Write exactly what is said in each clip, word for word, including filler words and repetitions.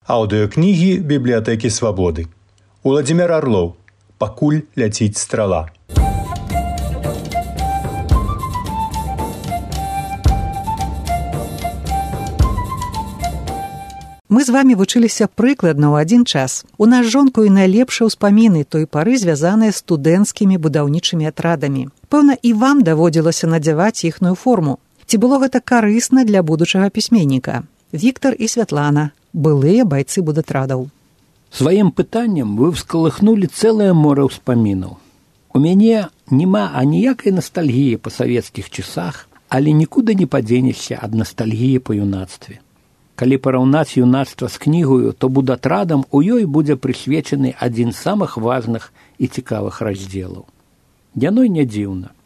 Аўдыёкнігі бібліятэкі Свабоды. Уладзімір Арлоў. Пакуль ляціць страла. Мы з вамі вучыліся прыкладна ў адзін час. У нас жонку і найлепшыя ўспаміны той пары звязаныя з студэнцкімі будаўнічымі атрадамі. Пэўна, і вам даводзілася надзяваць іхную форму. Ці было гэта карысна для будучага пісьменніка? Віктар і Святлана, былыя байцы будатрадаў. Сваім пытаннем вы вскалыхнулі цэлае мора ўспамінаў. У мяне няма аніякай настальгіі па савецкіх часах, але нікуды не падзенешся ад настальгіі па юнацтве. Калі параўнаць юнацтва з кнігаю, то будатрадам у ёй будзе прысвечаны адзін з самых важных і цікавых раздзелаў. Яно і не дзіўна.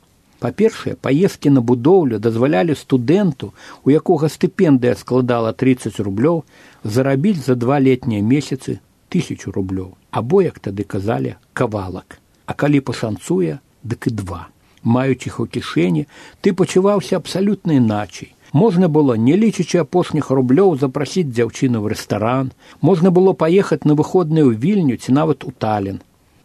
Па-першае, паездкі на будоўлю дазвалялі студэнту, у якога стыпендыя складала трыццаць рублёў, зарабіць за два летнія месяцы тысячу рублёў, або, як тады казалі, кавалак. А калі пашанцуе, дык і два. Маючы іх у кішэні, ты пачуваўся абсалютна іначай. Можна было, не лічачы апошніх рублёў, запрасіць дзяўчыну ў рэстаран, можна было паехаць на выходныя ў Вільню ці нават у Талін,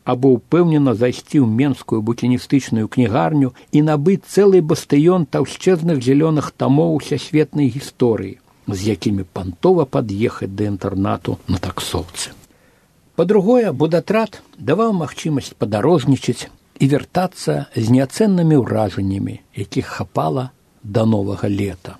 або ўпэўнена зайсці ў менскую букіністычную кнігарню і набыць цэлы бастыён таўшчэзных зялёных тамоў усесветнай гісторыі, з якімі пантова пад'ехаць да інтэрнату на таксоўцы. Па-другое, будатрад даваў магчымасць падарожнічаць і вяртацца з неацэннымі ўражаннямі, якіх хапала да новага лета.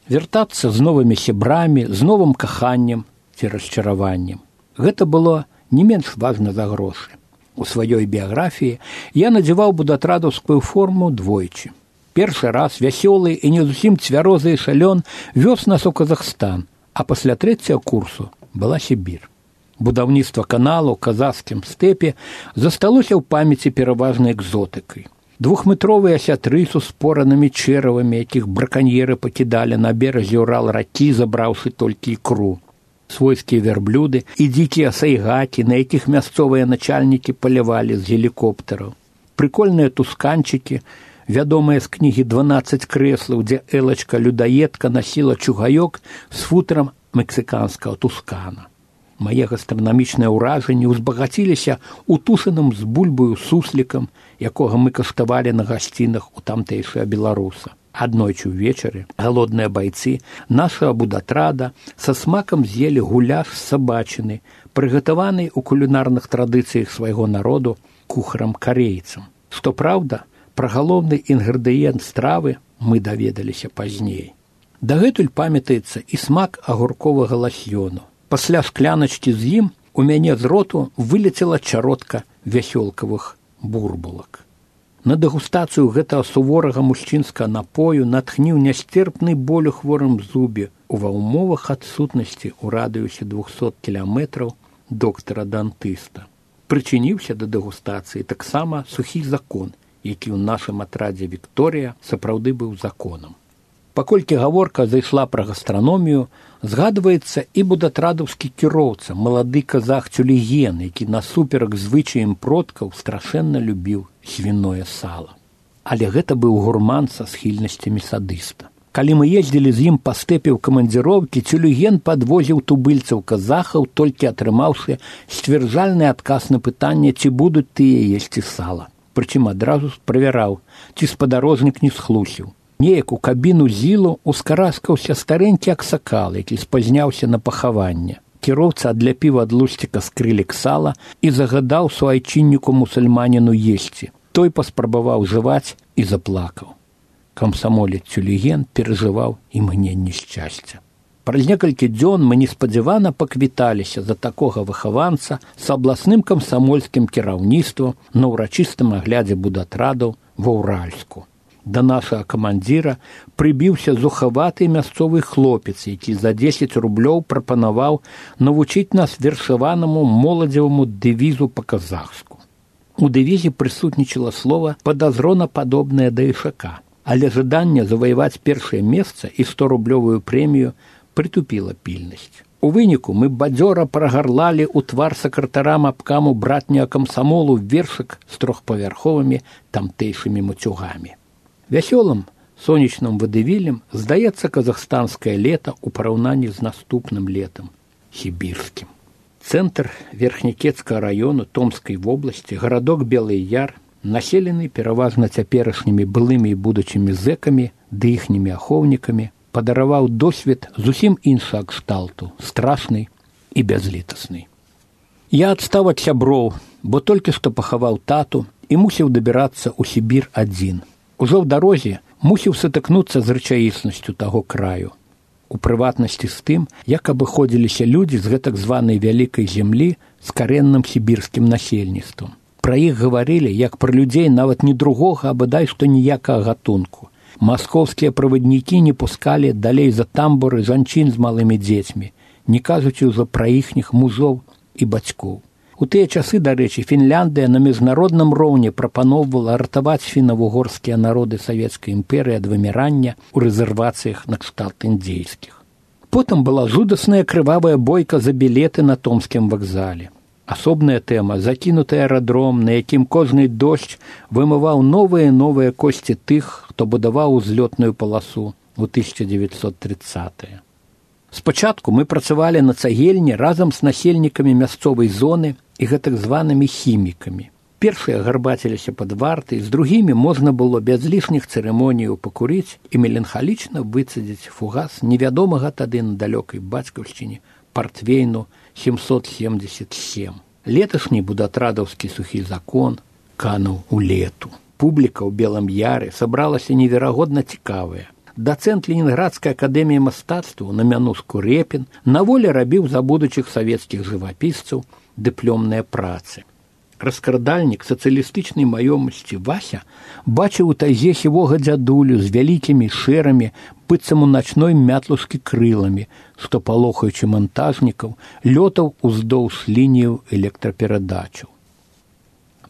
Вяртацца з новымі сябрамі, з новым каханнем ці расчараваннем. Гэта было не менш важна за грошы. У сваёй біяграфіі я надзяваў будатрадаўскую форму двойчы. Першы раз вясёлы і не зусім цвярозы і шалён вёз нас у Казахстан, а пасля трэцяга курсу была Сібір. Будаўніцтва каналу ў казахскім стэпе засталося ў памяці пераважнай экзотыкай. Двухметровыя сятры з успоранымі чэравамі, якіх браканьеры пакідалі на беразе Урал-ракі, забраўшы толькі ікру. Свойскія вярблюды і дзікія сайгакі, на якіх мясцовыя начальнікі палявалі з гелікоптараў. Прыкольныя тусканчыкі, вядомыя з кнігі «дванаццаць крэслаў», дзе Элачка-людаедка насіла чугаёк з футрам мексіканскага тускана. Мае гастранамічныя ўражанні ўзбагаціліся утушаным з бульбаю суслікам, якога мы каштавалі на гасцінах у тамтэйшага беларуса. Аднойчы ўвечары галодныя байцы нашага будатрада са смакам з'елі гуляш з сабачыны, прыгатаваны ў кулінарных традыцыях свайго народу кухарам-карейцам. Што праўда, пра галоўны інгрэдыент стравы мы даведаліся пазней. Дагэтуль памятаецца і смак агурковага ласьёну. Пасля шкляначкі з ім у мяне з роту вылецела чаротка вясёлкавых бурбулак. На дэгустацыю гэтага суворага мужчынскага напою натхніў нясцерпны боль у хворым зубе ува ўмовах адсутнасці ў радыусе двухсот кіламетраў доктара-дантыста. Прычыніўся да дэгустацыі таксама сухі закон, які ў нашым атрадзе Вікторыя сапраўды быў законам. Паколькі гаворка зайшла пра гастраномію, згадваецца і будатрадаўскі кіроўца, малады казах Тюлеген, які насуперак звычаям продкаў страшэнна любіў свіное сала. Але гэта быў гурман са схільнасцямі садыста. Калі мы ездзілі з ім па стэпе ў камандзіроўкі, Тюлеген падвозіў тубыльцаў казахаў, толькі атрымаўшы сцвярджальны адказ на пытанне, ці будуць тыя есці сала. Прычым адразу правяраў, ці спадарожнік не схлусіў. Неяк у кабіну зілу ускараскаўся старэнькі аксакал, які спазняўся на пахаванне. Кіроўца адляпіў ад лусціка скрылек сала і загадаў суайчынніку мусульманіну есці. Той паспрабаваў жываць і заплакаў. Камсамолец Тюлеген перажываў імгненне шчасця. Праз некалькі дзён мы неспадзявана паквіталіся за такога выхаванца з абласным камсамольскім кіраўніцтвам на ўрачыстым аглядзе будатрадаў ва Ўральску. Да нашага камандзіра прыбіўся зухаваты мясцовы хлопец, які за дзесяць рублёў прапанаваў навучыць нас вершаванаму моладзеваму дэвізу па-казахску. У дэвізе прысутнічала слова падазронападобнае да ішака, але жаданне заваяваць першае месца і сторублёвую прэмію прытупіла пільнасць. У выніку мы бадзёра прагарлалі ў твар сакратарам абкаму братняга камсамолу вершык з трохпавярховымі тамтэйшымі мацюгамі. Вясёлым сонечным вадывілем здаецца казахстанскае лета ў параўнанні з наступным летам. сібірскім. Цэнтр Верхнякецкага раёну Томскай вобласці, гарадок Белы Яр, населены пераважна цяперашнімі былымі і будучымі зэкамі ды іхнімі ахоўнікамі, падараваў досвед зусім іншага кшталту, страшны і бязлітасны. Я адстаў ад сяброў, бо толькі што пахаваў тату і мусіў дабірацца ў Сібір адзін. Ужо ў дарозе мусіў сутыкнуцца з рэчаіснасцю таго краю. У прыватнасці з тым, як абыходзіліся людзі з гэтак званай вялікай зямлі з карэнным сібірскім насельніцтвам. Пра іх гаварылі, як пра людзей нават не другога, а бадай што ніякага гатунку. Маскоўскія праваднікі не пускалі далей за тамбуры жанчын з малымі дзецьмі, не кажучы ўжо пра іхніх мужоў і бацькоў. У тыя часы, дарэчы, Фінляндыя на міжнародным роўні прапаноўвала ратаваць фіна-вугорскія народы Савецкай імперыі ад вымірання ў рэзервацыях накшталт індзейскіх. Потым была жудасная крывавая бойка за білеты на Томскім вакзале. Асобная тэма – закінуты аэрадром, на якім кожны дождж вымываў новыя і новыя косці тых, хто будаваў узлётную паласу ў тысяча дзевяцьсот трыццатыя. Спачатку мы працавалі на цагельні разам з насельнікамі мясцовай зоны і гэтак званымі хімікамі. Першыя гарбаціліся пад вартай, з другімі можна было без лішніх цырымоніяў пакурыць і меланхалічна выцадзіць фугас невядомага тады на далёкай бацькаўшчыне партвейну сямсот семьдесят сем. Леташні будатрадаўскі сухі закон кануў у лету. Публіка ў Белым Яры сабралася неверагодна цікавая. Дацэнт Ленінградскай акадэміі мастацтваў на Мянуску Репін на волі рабіў за будучых савецкіх жывапісцаў дыпломныя працы. Раскрадальнік сацыялістычнай маёмасці Вася бачыў у тайзе сівога дзядулю з вялікімі шэрамі, быццам у начной мятлушкі крыламі, што, палохаючы мантажнікаў, лётаў уздоўж лінію электраперадачаў.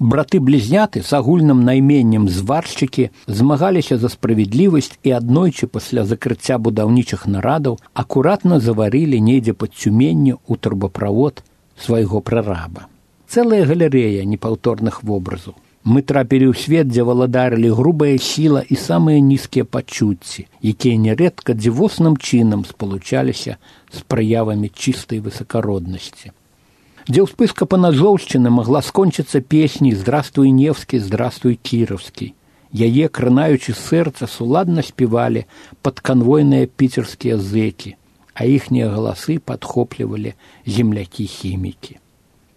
Браты-блізняты з агульным найменнем зваршчыкі змагаліся за справядлівасць і аднойчы пасля закрыцця будаўнічых нарадаў акуратна заварылі недзе пад Цюменню ў турбаправод свайго прараба. Цэлая галерэя непаўторных вобразаў. Мы трапілі ў свет, дзе валадарылі грубая сіла і самыя нізкія пачуцці, якія нярэдка дзівосным чынам спалучаліся з праявамі чыстай высакароднасці. Дзе ўспышка панажоўшчыны магла скончыцца песняй «Здравствуй, Невскі, здравствуй, Кіровскі». Яе, кранаючы сэрца, суладна спявалі падканвойныя піцерскія зэкі, а іхнія галасы падхоплівалі землякі-хімікі.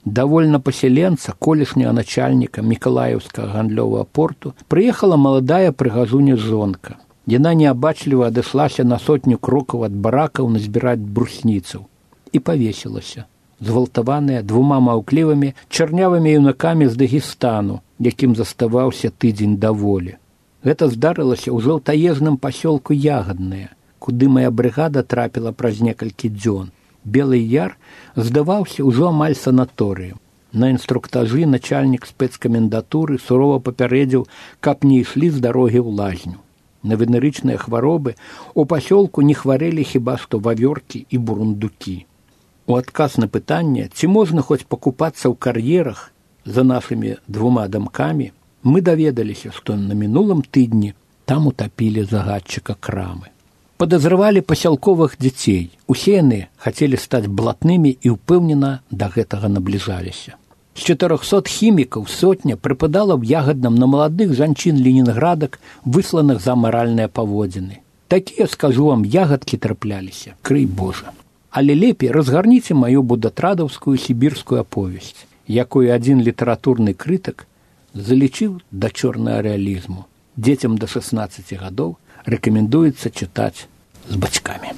Давольна пасяленца, колішняга начальніка Мікалаеўскага гандлёвага порту, прыехала маладая прыгажуня жонка. Яна неабачліва адышлася на сотню крокаў ад баракаў назбіраць брусніцаў і павесілася, згвалтаваная двума маўклівымі чарнявымі юнакамі з Дагестану, якім заставаўся тыдзень да волі. Гэта здарылася ў жаўтаежным пасёлку Ягаднае, куды мая брыгада трапіла праз некалькі дзён. Белы Яр здаваўся ўжо амаль санаторыем. На інструктажы начальнік спецкамендатуры сурова папярэдзіў, каб не ішлі з дарогі ў лазню. На венерычныя хваробы у пасёлку не хварэлі хіба што вавёркі і бурундукі. У адказ на пытанне, ці можна хоць пакупацца ў кар'ерах за нашымі двума дамкамі, мы даведаліся, што на мінулым тыдні там утапілі загадчыка крамы. Падазравалі пасялковых дзяцей. Усе яны хацелі стаць блатнымі і ўпэўнена да гэтага набліжаліся. З чатырохсот хімікаў сотня прыпадала ў Ягадным на маладых жанчын ленінградак, высланых за амаральныя паводзіны. Такія, скажу вам, ягадкі трапляліся, крый Божа. Але лепей разгарніце маю будатрадаўскую сібірскую аповесць, якую адзін літаратурны крытык залічыў да чорнага рэалізму. Дзецям да шаснаццаці гадоў рэкамендуецца чытаць з бацькамі.